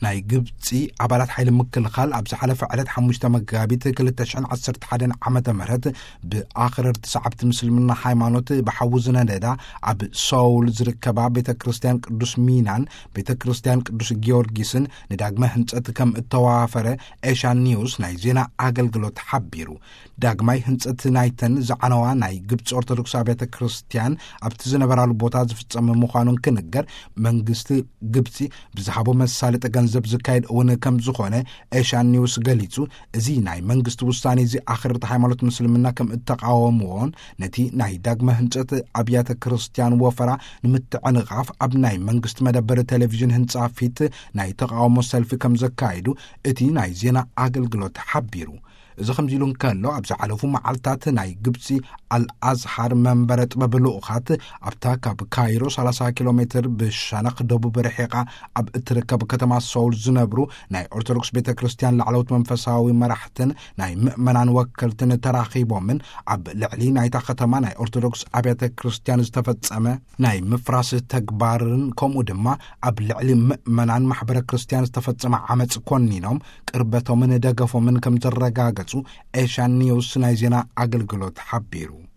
ናይ ግብፂ ኣባላት ሓይሊ ምክልኻል ኣብ ዝሓለፈ ዕለት ሓሙሽተ መጋቢት ክልተ ሽሕን ዓሰርተ ሓደን ዓመተ ምህረት ብኣኽረርቲ ሰዓብቲ ምስልምና ሃይማኖት ብሓዊ ዝነደዳ ኣብ ሶውል ዝርከባ ቤተ ክርስቲያን ቅዱስ ሚናን ቤተ ክርስቲያን ቅዱስ ጊዮርጊስን ንዳግመ ህንጸት ከም እተዋፈረ ኤሻን ኒውስ ናይ ዜና ኣገልግሎት ሓቢሩ። ዳግማይ ህንጸት ናይተን ዝዓነዋ ናይ ግብፂ ኦርቶዶክስ ኣብያተ ክርስቲያን ኣብቲ ዝነበራሉ ቦታ ዝፍጸም ምዃኑን ክንገር፣ መንግስቲ ግብፂ ብዝሃቦ መሳለጢ ገንዘብ ዝካየድ እውን ከም ዝኾነ ኤሻን ኒውስ ገሊጹ። እዚ ናይ መንግስቲ ውሳኔ እዚ ኣኽረርቲ ሃይማኖት ምስልምና ከም እተቃወምዎን ነቲ ናይ ዳግመ ህንጸት ኣብያተ ክርስቲያን ወፈራ ንምትዕንቓፍ ኣብ ናይ መንግስቲ መደበር ቴሌቪዥን ህንጻ ፊት ናይ ተቃውሞ ሰልፊ ከም ዘካየዱ እቲ ናይ ዜና ኣገልግሎት ሓቢሩ። እዚ ከምዚ ኢሉ እንከሎ፣ ኣብ ዝሓለፉ መዓልታት ናይ ግብፂ ኣልኣዝሃር መንበረ ጥበብ ልኡኻት ኣብታ ካብ ካይሮ ሰላሳ ኪሎ ሜትር ብሸነኽ ደቡብ ርሒቓ ኣብ እትርከብ ከተማ ሶውል ዝነብሩ ናይ ኦርቶዶክስ ቤተ ክርስቲያን ላዕለዎት መንፈሳዊ መራሕትን ናይ ምእመናን ወከልትን ተራኺቦምን ኣብ ልዕሊ ናይታ ከተማ ናይ ኦርቶዶክስ ኣብያተ ክርስቲያን ዝተፈጸመ ናይ ምፍራስ ተግባርን ከምኡ ድማ ኣብ ልዕሊ ምእመናን ማሕበረ ክርስቲያን ዝተፈጸመ ዓመፅ ኮኒኖም ቅርበቶምን ደገፎምን ከም ዘረጋገጹ ኤሻን ኒውስ ናይ ዜና ኣገልግሎት ሓቢሩ።